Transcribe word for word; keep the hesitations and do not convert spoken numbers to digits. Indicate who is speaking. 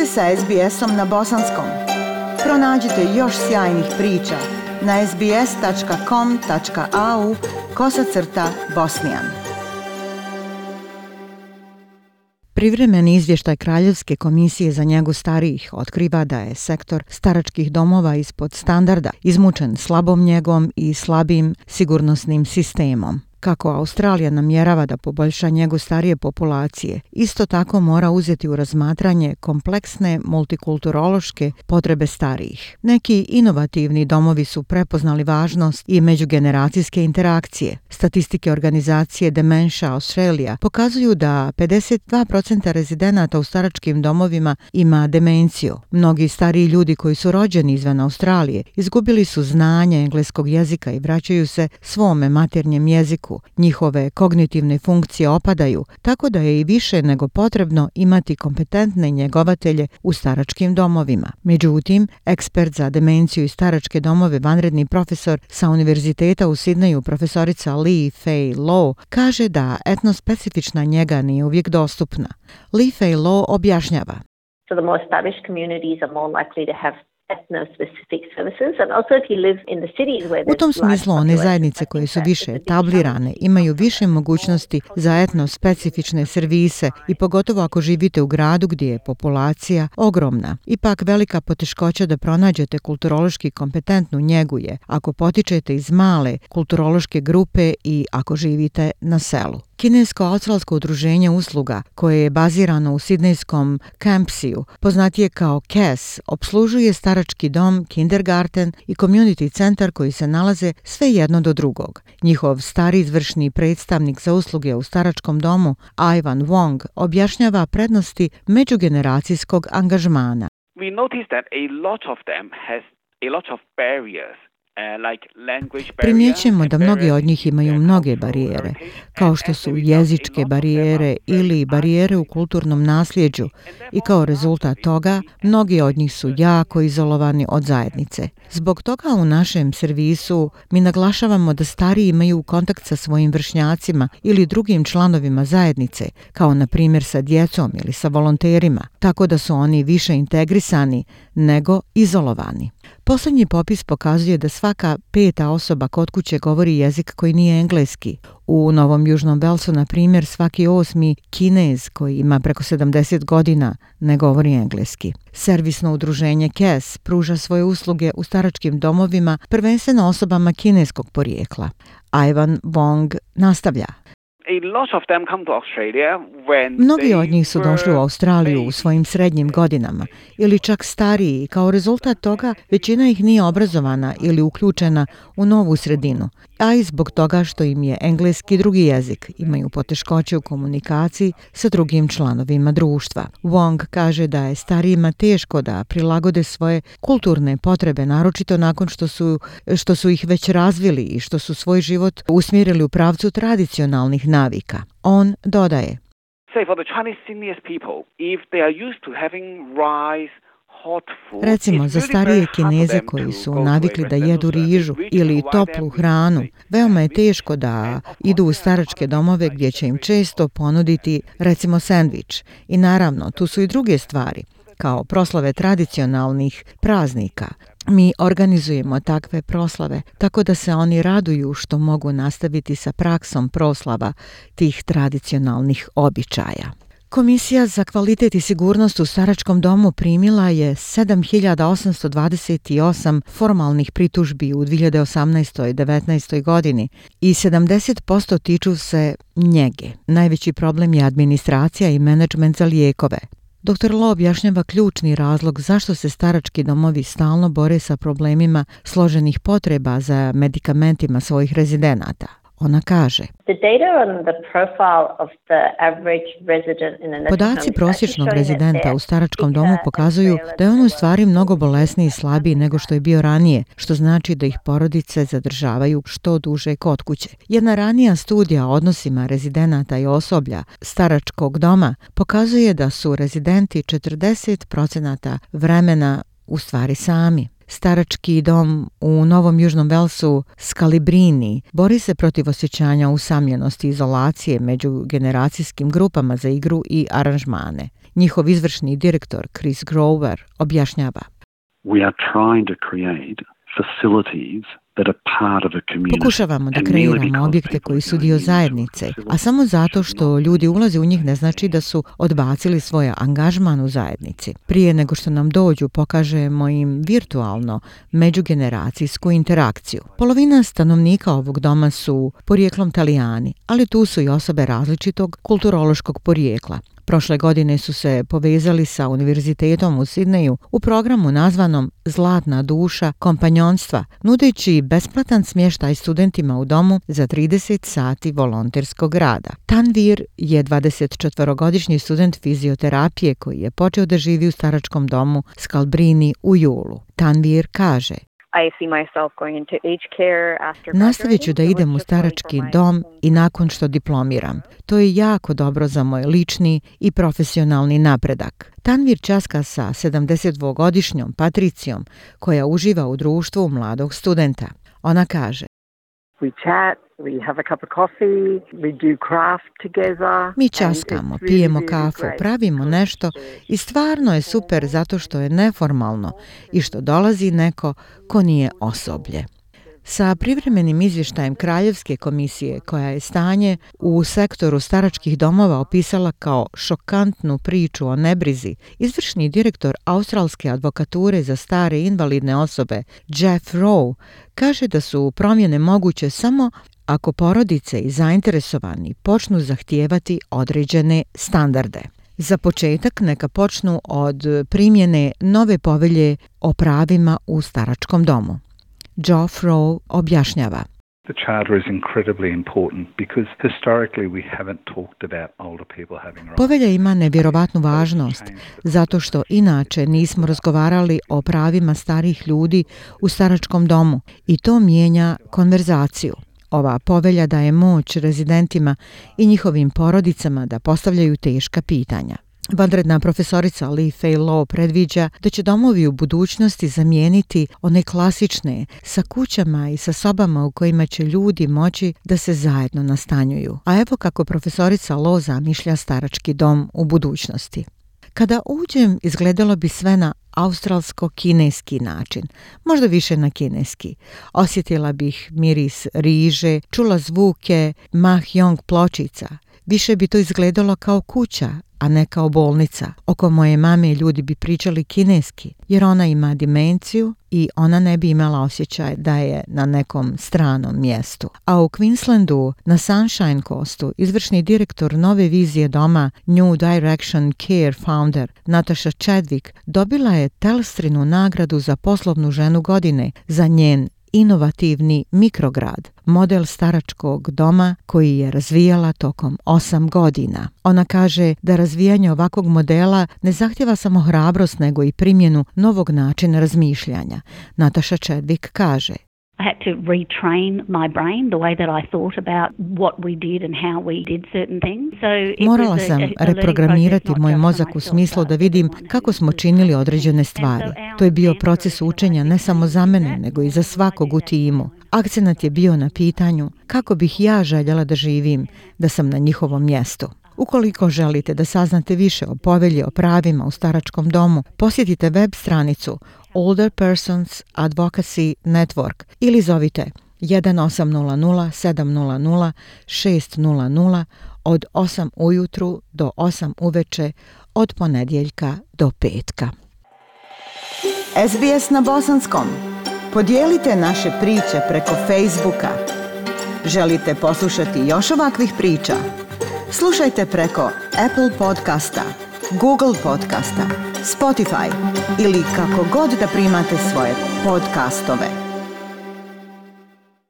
Speaker 1: ste sa es be esom na bosanskom. Pronađite još sjajnih priča na es be es tačka com tačka a u kosacrta bosnijan. Privremeni izvještaj Kraljevske komisije za njegu starijih otkriva da je sektor staračkih domova ispod standarda, izmučen slabom njegom i slabim sigurnosnim sistemom. Kako Australija namjerava da poboljša njegu starije populacije, isto tako mora uzeti u razmatranje kompleksne multikulturološke potrebe starijih. Neki inovativni domovi su prepoznali važnost i međugeneracijske interakcije. Statistike organizacije Dementia Australia pokazuju da pedeset dva posto rezidenata u staračkim domovima ima demenciju. Mnogi stariji ljudi koji su rođeni izvan Australije izgubili su znanje engleskog jezika i vraćaju se svome maternjem jeziku. Njihove kognitivne funkcije opadaju, tako da je i više nego potrebno imati kompetentne njegovatelje u staračkim domovima. Međutim, ekspert za demenciju i staračke domove, vanredni profesor sa Univerziteta u Sidneju, profesorica Lee Fay Law, kaže da etnospecifična njega nije uvijek dostupna. Lee Fay Law objašnjava.
Speaker 2: So the more established communities are more likely to have
Speaker 1: U tom smislu one zajednice koje su više etablirane imaju više mogućnosti za etnospecifične servise i pogotovo ako živite u gradu gdje je populacija ogromna. Ipak velika poteškoća da pronađete kulturološki kompetentnu njegu je ako potičete iz male kulturološke grupe i ako živite na selu. Kinesko-australsko udruženje usluga, koje je bazirano u sidnejskom Campsiju, poznatije kao C A S, obslužuje starački dom, kindergarten i community centar koji se nalaze sve jedno do drugog. Njihov stari izvršni predstavnik za usluge u staračkom domu, Ivan Wong, objašnjava prednosti međugeneracijskog angažmana.
Speaker 3: We noticed that a lot of them has a lot of barriers.
Speaker 1: Primjećujemo da mnogi od njih imaju mnoge barijere, kao što su jezičke barijere ili barijere u kulturnom nasljeđu i kao rezultat toga mnogi od njih su jako izolovani od zajednice. Zbog toga u našem servisu mi naglašavamo da stariji imaju kontakt sa svojim vršnjacima ili drugim članovima zajednice, kao na primjer sa djecom ili sa volonterima, tako da su oni više integrisani nego izolovani. Posljednji popis pokazuje da svaka peta osoba kod kuće govori jezik koji nije engleski. U Novom Južnom Velsu, na primjer, svaki osmi Kinez koji ima preko sedamdeset godina ne govori engleski. Servisno udruženje C A S pruža svoje usluge u staračkim domovima prvenstveno osobama kineskog porijekla. Ivan Wong nastavlja. Mnogi od njih su došli u Australiju u svojim srednjim godinama ili čak stariji i kao rezultat toga većina ih nije obrazovana ili uključena u novu sredinu, a i zbog toga što im je engleski drugi jezik, imaju poteškoće u komunikaciji sa drugim članovima društva. Wong kaže da je starijima teško da prilagode svoje kulturne potrebe, naročito nakon što su, što su ih već razvili i što su svoj život usmjerili u pravcu tradicionalnih navika. On dodaje. Recimo, za starije Kineze koji su navikli da jedu rižu ili toplu hranu, veoma je teško da idu u staračke domove gdje će im često ponuditi, recimo, sendvič. I naravno, tu su i druge stvari, kao proslave tradicionalnih praznika. Mi organizujemo takve proslave, tako da se oni raduju što mogu nastaviti sa praksom proslava tih tradicionalnih običaja. Komisija za kvalitet i sigurnost u staračkom domu primila je sedam hiljada osamsto dvadeset osam formalnih pritužbi u dvije hiljade osamnaestoj i devetnaestoj godini i sedamdeset posto tiču se njege. Najveći problem je administracija i menadžment za lijekove. doktor Law objašnjava ključni razlog zašto se starački domovi stalno bore sa problemima složenih potreba za medikamentima svojih rezidenata. Ona kaže: Podaci prosječnog rezidenta u staračkom domu pokazuju da je on u stvari mnogo bolesniji i slabiji nego što je bio ranije, što znači da ih porodice zadržavaju što duže kod kuće. Jedna ranija studija o odnosima rezidenata i osoblja staračkog doma pokazuje da su rezidenti četrdeset posto vremena u stvari sami. Starački dom u Novom Južnom Velsu Scalabrini bori se protiv osjećanja usamljenosti i izolacije među generacijskim grupama za igru i aranžmane. Njihov izvršni direktor Chris Grover objašnjava.
Speaker 4: We are trying to create facilities that are part of a community.
Speaker 1: Pokušavamo da kreiramo objekte koji su dio zajednice, a samo zato što ljudi ulaze u njih ne znači da su odbacili svoj angažman u zajednici. Prije nego što nam dođu, pokažemo im virtualno međugeneracijsku interakciju. Polovina stanovnika ovog doma su porijeklom Talijani, ali tu su i osobe različitog kulturološkog porijekla. Prošle godine su se povezali sa univerzitetom u Sidneju u programu nazvanom Zlatna duša kompanjonstva, nudeći besplatan smještaj studentima u domu za trideset sati volonterskog rada. Tanvir je dvadesetčetvorogodišnji student fizioterapije koji je počeo da živi u staračkom domu Scalabrini u julu. Tanvir kaže: Nastavit ću da idem u starački dom i nakon što diplomiram. To je jako dobro za moj lični i profesionalni napredak. Tanvir ćaska sa sedamdesetdvogodišnjom Patricijom koja uživa u društvu mladog studenta. Ona kaže:
Speaker 5: We chat, we have a cup of coffee, we do craft together.
Speaker 1: Mi ćaskamo, pijemo kafu, pravimo nešto i stvarno je super zato što je neformalno i što dolazi neko ko nije osoblje. Sa privremenim izvještajem Kraljevske komisije, koja je stanje u sektoru staračkih domova opisala kao šokantnu priču o nebrizi, izvršni direktor Australske advokature za stare i invalidne osobe Jeff Rowe kaže da su promjene moguće samo ako porodice i zainteresovani počnu zahtijevati određene standarde. Za početak neka počnu od primjene nove povelje o pravima u staračkom domu. Jeff Rowe objašnjava.
Speaker 6: The charter is incredibly important because historically we haven't talked about older people having rights.
Speaker 1: Povelja ima nevjerovatnu važnost zato što inače nismo razgovarali o pravima starih ljudi u staračkom domu i to mijenja konverzaciju. Ova povelja daje moć rezidentima i njihovim porodicama da postavljaju teška pitanja. Vanredna profesorica Lee Fay Law predviđa da će domovi u budućnosti zamijeniti one klasične sa kućama i sa sobama u kojima će ljudi moći da se zajedno nastanjuju. A evo kako profesorica Law zamišlja starački dom u budućnosti. Kada uđem, izgledalo bi sve na australsko-kineski način, možda više na kineski. Osjetila bih miris riže, čula zvuke mahjong pločica. Više bi to izgledalo kao kuća, a ne kao bolnica. Oko moje mame ljudi bi pričali kineski, jer ona ima dimenciju i ona ne bi imala osjećaj da je na nekom stranom mjestu. A u Queenslandu, na Sunshine Coastu, izvršni direktor nove vizije doma New Direction Care founder Natasha Chadwick dobila je Telstrinu nagradu za poslovnu ženu godine za njen inovativni mikrograd, model staračkog doma koji je razvijala tokom osam godina. Ona kaže da razvijanje ovakvog modela ne zahtjeva samo hrabrost nego i primjenu novog načina razmišljanja. Natasha Chadwick kaže:
Speaker 7: I had to retrain my brain the way that I thought about what we did and how we did certain things. So it
Speaker 1: Morala
Speaker 7: was a,
Speaker 1: sam
Speaker 7: a, a
Speaker 1: reprogramirati
Speaker 7: process,
Speaker 1: moj
Speaker 7: not
Speaker 1: mozak
Speaker 7: just
Speaker 1: u
Speaker 7: for
Speaker 1: smislu
Speaker 7: myself,
Speaker 1: da vidim
Speaker 7: but
Speaker 1: kako smo činili određene stvari. To je bio proces učenja ne samo za mene, nego i za svakog u timu. Akcenat je bio na pitanju kako bih ja željela da živim, da sam na njihovom mjestu. Ukoliko želite da saznate više o povelji o pravima u staračkom domu, posjetite web stranicu Older Persons Advocacy Network ili zovite jedan osam nula nula sedam nula nula šest nula nula od osam ujutru do osam uveče od ponedjeljka do petka.
Speaker 8: S B S na bosanskom. Podijelite naše priče preko Facebooka. Želite poslušati još ovakvih priča? Slušajte preko Apple podcasta, Google podcasta, Spotify ili kako god da primate svoje podcastove.